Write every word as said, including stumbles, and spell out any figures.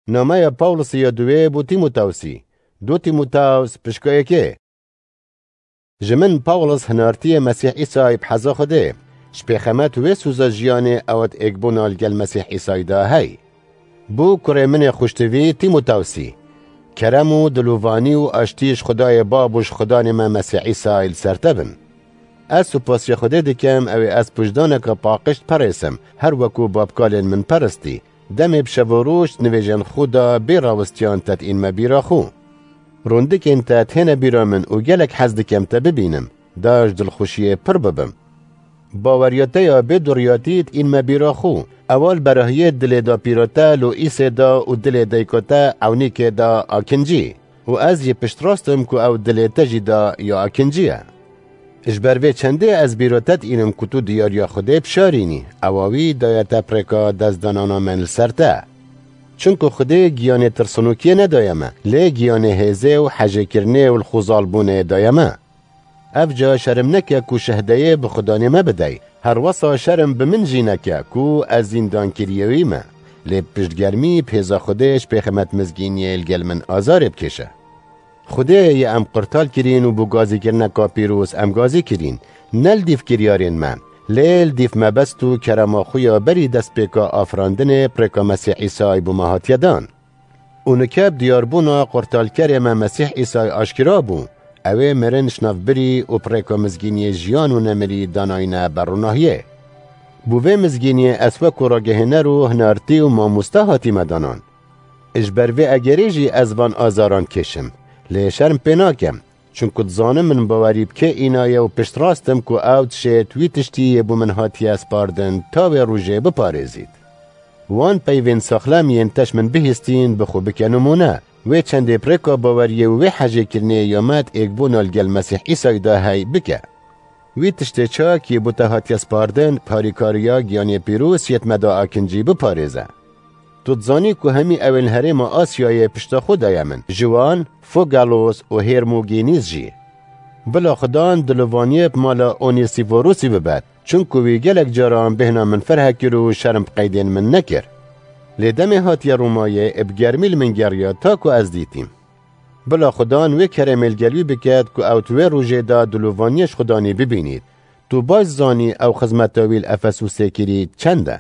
Nameya Pawlusî ya duwê bo Tîmotewsî. Du Tîmotews pişka yekê. Ji min Pawlus hinartiyê Mesîh Îsayî bi heza Xwedê, ji pêxemet wê sûza jiyanê ewt êkbûna li gel Mesîh Îsayî de hey. Bo kurê min ê xweştivî Tîmotewsî. Kerem û dilovanî û aştî ji Xwedayê Bab û ji Xudanê me Mesîh Îsayî li ser te bin. Ez supasiya Xwedê dikim, ew ê ez pûjdaneke paqij diperêsim, her wekû babkalên min peristî. Demê bi şev û roj nivêjên xwe de bê rawistiyan te diînme bîra xwe. Rûndikên te dihêne bîra min û gelek hez dikim te bibînim, da ji dilxweşiyê pir bibim. Baweriya te ya bê duriyatî diînme bîra xwe, ewa li berahiyê dilê dapîra te Loîsê de û dilê dayika te Ewnîkê de akincî. Û ez jî piştrast im ku ew dilê te jî da ya akincî ye. Ji ber vê çendê ez bîra te diînim ku tu diyariya Xwedê bişarînî, ewa wî daye te bi rêka destdanana min li ser te. Çimku Xwedê giyanê tirsinokiyê nedaye me, lê giyanê hêzê û hejêkirinê û li xwezalbûnê daye me. Ev ca şerm neke ku şehdeyê bi Xudanê me bidey. Her wesa şerm bi min jî neke ku ez zîndankiriyê wî me. Lê piştgermî bi hêza Xwedê ji pêxemet mizgîniyê li gel min azarê bikêşe. Xwedê yê em qurtal kirîn û bo gazîkirineka pîroz em gazî kirîn, ne li dîv kiryarên me, lê li dîv mebest û kerema xwe ya berî destpêka afirandinê bi rêka Mesîh Îsayî bo me hatiye dan. Û nike bi diyarbûna qurtalkerê me Mesîh Îsayî aşkira bû, ew ê mirin ji nav birî û bi rêka mizgîniyê jiyan û nemirî danayne ber ronahiyê. Bo vê mizgîniyê ez wekû ragihêner û hinartî û mamoste hatîme danan. Ji ber vê egerê jî ez van azaran dikêşim, lê şerm pê nakim, çimku dizanim min bawerî bi kê înaye û piştrast im ku ew dişêt wî tiştî yê bo min hatiye spardin ta wê rojê biparêzît. Wan peyvên saxlem yên te ji min bihîstîn bi xwe bike nimûne, wê çendê bi rêka baweriyê û wê hejêkirinê ya me di êkbûna li gel Mesîh Îsayî de hey bike. Wî tiştê çak yê bo te hatiye spardin, bi harîkariya giyanê pîroz yê di me de akincî biparêze. Tu dizanî ku hemî ewên herêma Asyayê pişta xwe daye min, ji wan Fogalos û Hermogênîs jî. Bila Xudan dilovaniyê bi mala Onêsîforosî bibe, çimku wî gelek caran bêhna min ferh kir û şerm bi qeydên min nekir. Lê demê hatiye Romayê, ê bi germî li min geriya ta ku ez dîtîm. Bila Xudan wê keremê li gel wî biket ku ew di wê rojê de dilovaniyê ji Xudanî bibînît. Tu baş zanî ew xizmeta wî li Efesûsê kirî çend e.